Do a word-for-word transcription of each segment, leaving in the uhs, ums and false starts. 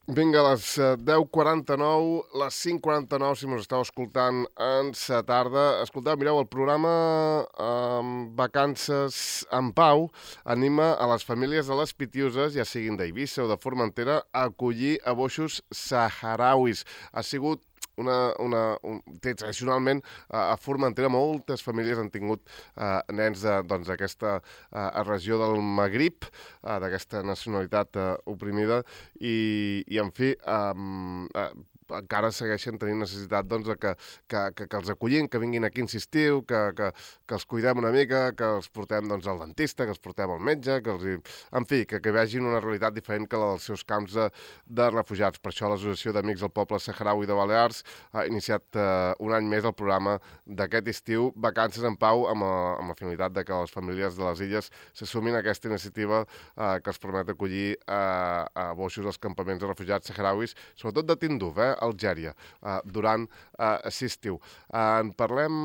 Vinga, a les eh, deu quaranta-nou, les cinc quaranta-nou, si mos esteu escoltant en sa tarda. Escolteu, mireu, el programa eh, Vacances en Pau anima a les famílies de les Pitiuses, ja siguin d'Eivissa o de Formentera, a acollir a boixos saharauis. Ha sigut una, una, un, tradicionalment a Formentera moltes famílies han tingut eh, nens d'aquesta doncs, eh, regió del Magrib, eh, d'aquesta nacionalitat eh, oprimida, i, i en fi, um, uh, encara segueixen tenint necessitat doncs, que, que, que, que els acollim, que vinguin aquí a insistiu, que, que, que els cuidem una mica, que els portem doncs, al dentista, que els portem al metge, que els... en fi, que, que vegin una realitat diferent que la dels seus camps de, de refugiats. Per això l'Associació d'Amics del Poble Saharaui de Balears ha iniciat uh, un any més el programa d'aquest estiu, Vacances en Pau, amb, a, amb la finalitat de que les famílies de les illes s'assumin aquesta iniciativa uh, que els permet acollir uh, a boixos als campaments de refugiats saharauis, sobretot de Tinduf, eh, Algèria, eh, durant eh, l'estiu. Eh, en parlem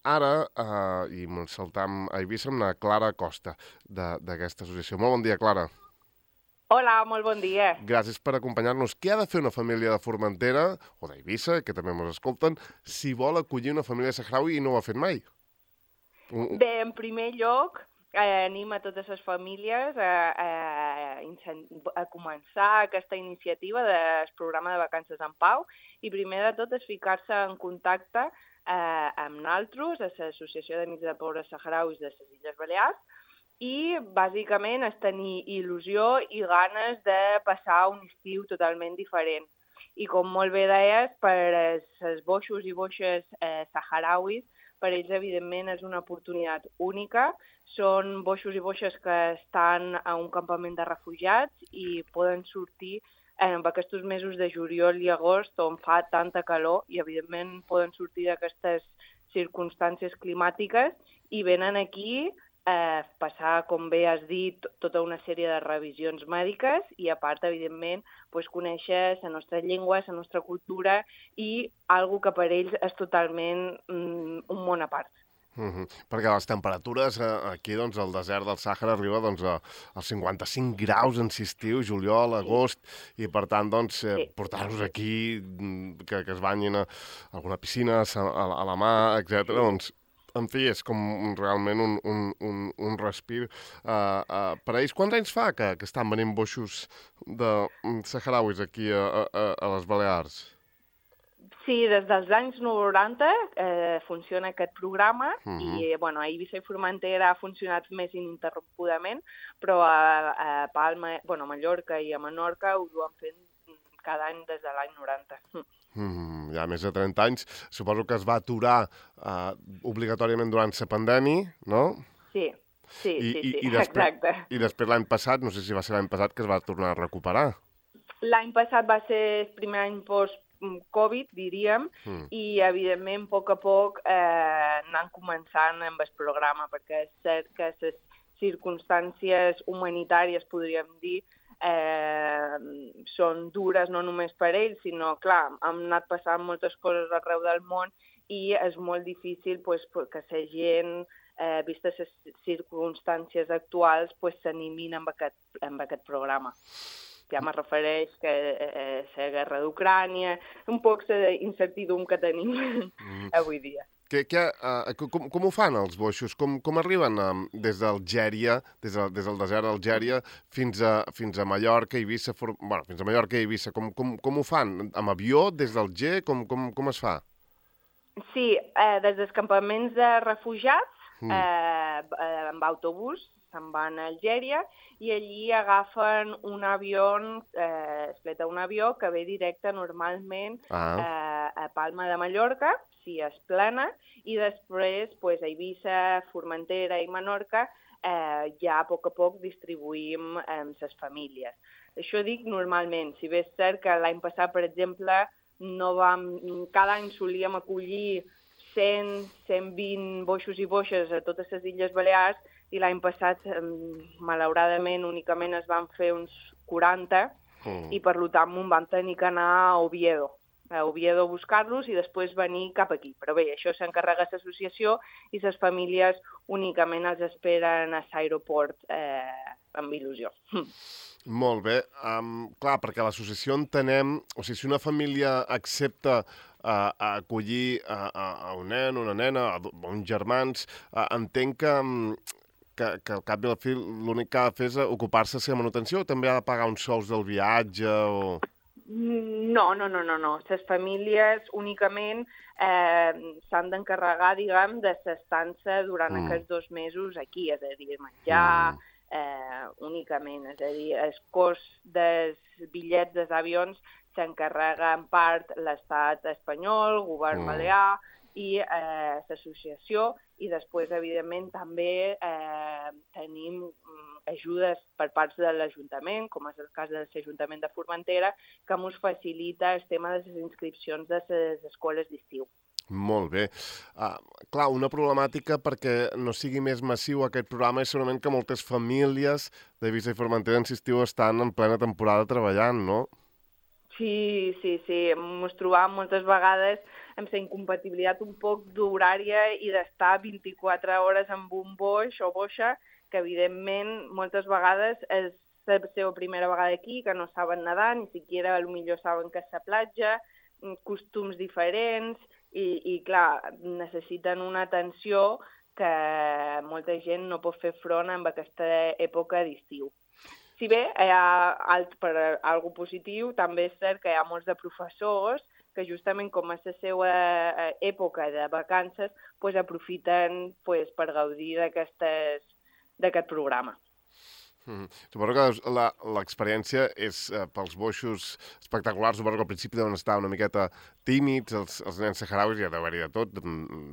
ara, eh, i ens saltam a Eivissa, amb la Clara Costa, d'aquesta associació. Molt bon dia, Clara. Hola, molt bon dia. Gràcies per acompanyar-nos. Què ha de fer una família de Formentera, o d'Eivissa, que també ens escolten, si vol acollir una família saharaui i no ho ha fet mai? Bé, en primer lloc, eh, anima totes les famílies a, a, a començar aquesta iniciativa del programa de Vacances en Pau i primer de tot és ficar-se en contacte eh, amb nosaltres, a l'Associació d'Amics de Pobres Saharauis de les Illes Balears, i bàsicament és tenir il·lusió i ganes de passar un estiu totalment diferent. I com molt bé deies, per els boixos i boixes eh, saharauis, per ells, evidentment, és una oportunitat única. Són boixos i boixes que estan a un campament de refugiats i poden sortir en aquests mesos de juliol i agost on fa tanta calor i, evidentment, poden sortir d'aquestes circumstàncies climàtiques i venen aquí eh, passar, com bé has dit, tota una sèrie de revisions mèdiques i, a part, evidentment, pues, conèixer la nostra llengua, la nostra cultura i algo que per ells és totalment mm, un món a part. Uh -huh. Perquè les temperatures eh, aquí doncs, al desert del Sàhara arriba doncs, a, als cinquanta-cinc graus en estiu, juliol, agost, sí. I per tant doncs, eh, sí. portar-los aquí, que, que es banyin a alguna piscina, a, a, a la mà, etcètera, sí. doncs en fi, és com realment un, un, un, un respir. Uh, uh, per a ells, quants anys fa que, que estan venint boixos de saharauis aquí a, a, a les Balears? Sí, des dels anys noranta eh, funciona aquest programa uh -huh. i bueno, a Eivissa i Formentera ha funcionat més ininterrompudament, però a, a Palma, bueno, a Mallorca i a Menorca ho duen fent cada any des de l'any noranta. Mm, ja més de trenta anys. Suposo que es va aturar uh, obligatòriament durant la pandèmia, no? Sí, sí, I, sí, i, sí, i després, exacte. I després l'any passat, no sé si va ser l'any passat, que es va tornar a recuperar. L'any passat va ser el primer any post-Covid, diríem, mm. i, evidentment, a poc a poc eh, anant començant amb el programa, perquè és cert que les circumstàncies humanitàries, podríem dir, eh, són dures no només per ells, sinó, clar, han anat passant moltes coses arreu del món i és molt difícil pues, que la gent, eh, vistes les circumstàncies actuals, pues, s'animin amb aquest, amb aquest programa. Ja me refereix que eh, la guerra d'Ucrània, un poc la incertidumbre que tenim mm. avui dia. Que, que, uh, com, com ho fan els boixos? Com, com arriben um, des d'Algèria, des, de, des del desert d'Algèria, fins a, fins a Mallorca, Eivissa, for... bueno, fins a Mallorca i Eivissa? Com, com, com ho fan? Amb avió, des d'Alger? Com, com, com es fa? Sí, eh, des dels campaments de refugiats, mm. eh, eh, amb autobús, se'n van a Algèria i allí agafen un avió, eh, es pleta un avió que ve directe normalment ah. eh, a Palma de Mallorca, si és plena, i després pues, a Eivissa, Formentera i Menorca eh, ja a poc a poc distribuïm amb les famílies. Això dic normalment, si bé és cert que l'any passat, per exemple, no vam, cada any solíem acollir cent, cent vint boixos i boixes a totes les Illes Balears i l'any passat, malauradament, únicament es van fer uns quaranta mm. i per tant m'ho van tenir que anar a Oviedo, a Oviedo a buscar-los i després venir cap aquí. Però bé, això s'encarrega l'associació i les famílies únicament els esperen a l'aeroport eh, amb il·lusió. Molt bé. Um, clar, perquè l'associació entenem... O sigui, si una família accepta uh, acollir a, a, a un nen, una nena, a, a uns germans, uh, entenc que, que, que al cap i a la fi l'únic que ha de fer és ocupar-se de la manutenció o també ha de pagar uns sols del viatge o... No, no, no, no, no. Les famílies únicament eh, s'han d'encarregar, diguem, de s'estança durant mm. aquests dos mesos aquí, és a dir, menjar, mm. eh, únicament, és a dir, el cost dels bitllets dels avions s'encarrega en part l'estat espanyol, el govern mm. balear i eh, l'associació, i després, evidentment, també eh, tenim ajudes per parts de l'Ajuntament, com és el cas de l'Ajuntament de Formentera, que ens facilita el tema de les inscripcions de les escoles d'estiu. Molt bé. Uh, clar, una problemàtica perquè no sigui més massiu aquest programa és segurament que moltes famílies d'Eivissa i Formentera en estiu estan en plena temporada treballant, no? Sí, sí, sí. Ens trobam moltes vegades amb la incompatibilitat un poc d'horària i d'estar vint-i-quatre hores amb un boix o boixa, que evidentment moltes vegades és la seva primera vegada aquí, que no saben nedar, ni siquiera potser saben que és la platja, costums diferents, i, i clar, necessiten una atenció que molta gent no pot fer front en aquesta època d'estiu. Si bé hi ha, per algo positiu, també és cert que hi ha molts de professors que justament com és la seva època de vacances, pues, aprofiten pues, per gaudir d'aquest programa. Mm. Suposo que l'experiència és eh, pels boixos espectaculars. Suposo que al principi deuen estar una miqueta tímids, els, els nens saharauis, ja deu haver-hi de tot,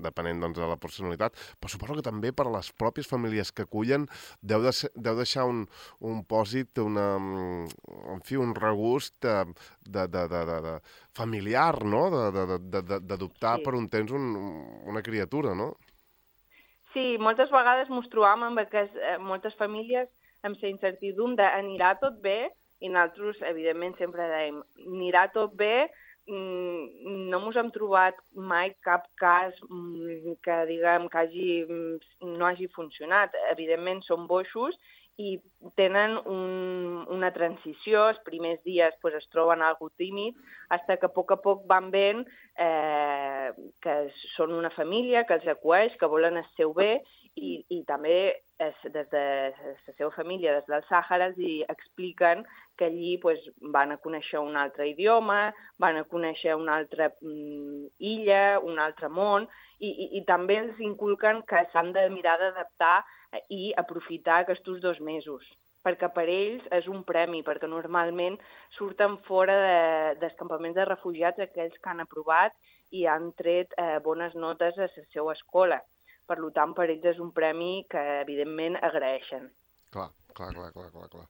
depenent doncs, de la personalitat, però suposo que també per a les pròpies famílies que acullen deu, de, deu deixar un, un pòsit, una, en fi, un regust de, de, de, de, de, de familiar, no? D'adoptar sí. per un temps un, una criatura, no? Sí, moltes vegades ens trobam amb que eh, moltes famílies amb la incertidumbre de anirà tot bé, i nosaltres, evidentment, sempre dèiem, anirà tot bé, no ens hem trobat mai cap cas que, diguem, que hagi, no hagi funcionat. Evidentment, són boixos i tenen un, una transició, els primers dies pues, es troben algo tímid, fins que a poc a poc van veient eh, que són una família, que els acueix, que volen el seu bé, i, i també es, des de la seva família, des del Sàhara, els expliquen que allí pues, van a conèixer un altre idioma, van a conèixer una altra mm, illa, un altre món, i, i, i també els inculquen que s'han de mirar d'adaptar i aprofitar aquests dos mesos, perquè per ells és un premi, perquè normalment surten fora de, dels campaments de refugiats aquells que han aprovat i han tret eh, bones notes a la seva escola. Per tant, per ells és un premi que, evidentment, agraeixen. Clar, clar, clar, clar, clar, clar.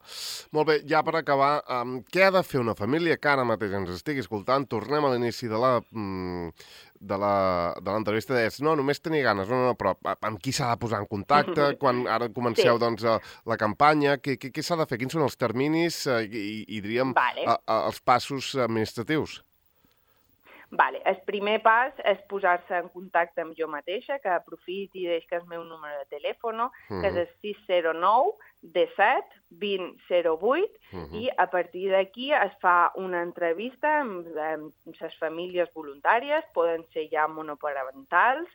Molt bé, ja per acabar, um, què ha de fer una família que ara mateix ens estigui escoltant? Tornem a l'inici de la... Mm, de l'entrevista, deies, no, només tenir ganes, no, no, però amb qui s'ha de posar en contacte, quan ara comenceu sí. doncs, la campanya, què, què, què s'ha de fer, quins són els terminis i, i, i diríem, vale. a, a, els passos administratius? Vale. El primer pas és posar-se en contacte amb jo mateixa, que aprofiti i deix que és el meu número de telèfon, uh-huh. que és el sis zero nou disset vint zero vuit, uh-huh. i a partir d'aquí es fa una entrevista amb, amb les famílies voluntàries, poden ser ja monoparentals,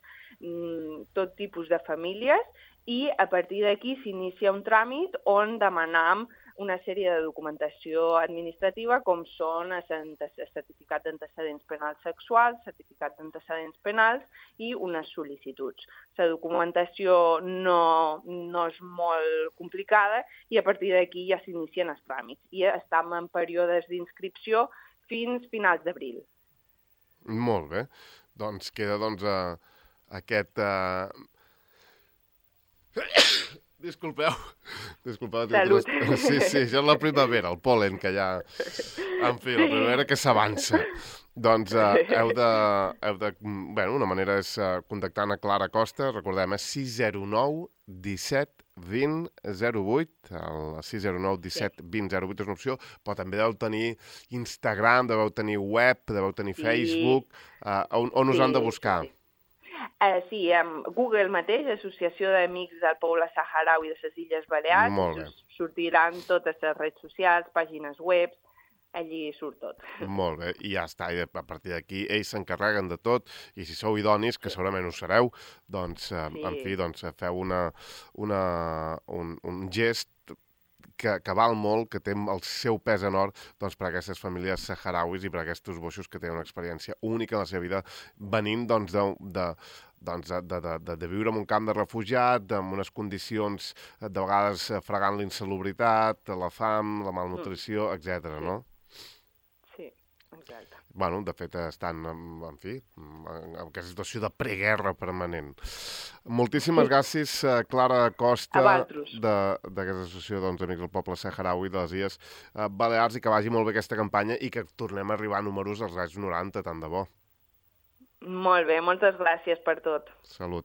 tot tipus de famílies, i a partir d'aquí s'inicia un tràmit on demanam una sèrie de documentació administrativa com són el certificat d'antecedents penals sexuals, certificat d'antecedents penals i unes sol·licituds. La documentació no, no és molt complicada i a partir d'aquí ja s'inicien els tràmits. I estem en períodes d'inscripció fins finals d'abril. Molt bé. Doncs queda doncs, uh, aquest... Uh... Disculpeu. Disculpeu. Salut. Sí, sí, això és la primavera, el pol·len, que ja... En fi, la primavera que s'avança. Doncs uh, heu de... Heu de bueno, una manera és uh, contactant a Clara Costa, recordem, és sis zero nou disset vint zero vuit, el sis zero nou disset vint zero vuit és una opció, però també deveu tenir Instagram, deveu tenir web, deveu tenir Facebook, uh, on, on us sí, han de buscar? Sí. Uh, sí, um, Google mateix, Associació d'Amics del Poble Saharaui de les Illes Balears, sortiran totes les redes socials, pàgines web, allí surt tot. Molt bé, i ja està, i a partir d'aquí ells s'encarreguen de tot, i si sou idonis, que segurament ho sereu, doncs, eh, Sí. en fi, doncs feu una, una, un, un gest que, que val molt, que té el seu pes en or, doncs, per a aquestes famílies saharauis i per a aquests boixos que tenen una experiència única en la seva vida, venint doncs, de, de, doncs, de, de, de, de viure en un camp de refugiat, amb unes condicions de vegades fregant l'insalubritat, la fam, la malnutrició, etcètera, no? Sí, exacte. Bueno, de fet, estan, en, en fi, en aquesta situació de preguerra permanent. Moltíssimes gràcies, Clara Costa, d'aquesta associació doncs, Amics del Poble Saharaui de les Illes Balears, i que vagi molt bé aquesta campanya i que tornem a arribar a números als anys noranta, tant de bo. Molt bé, moltes gràcies per tot. Salut.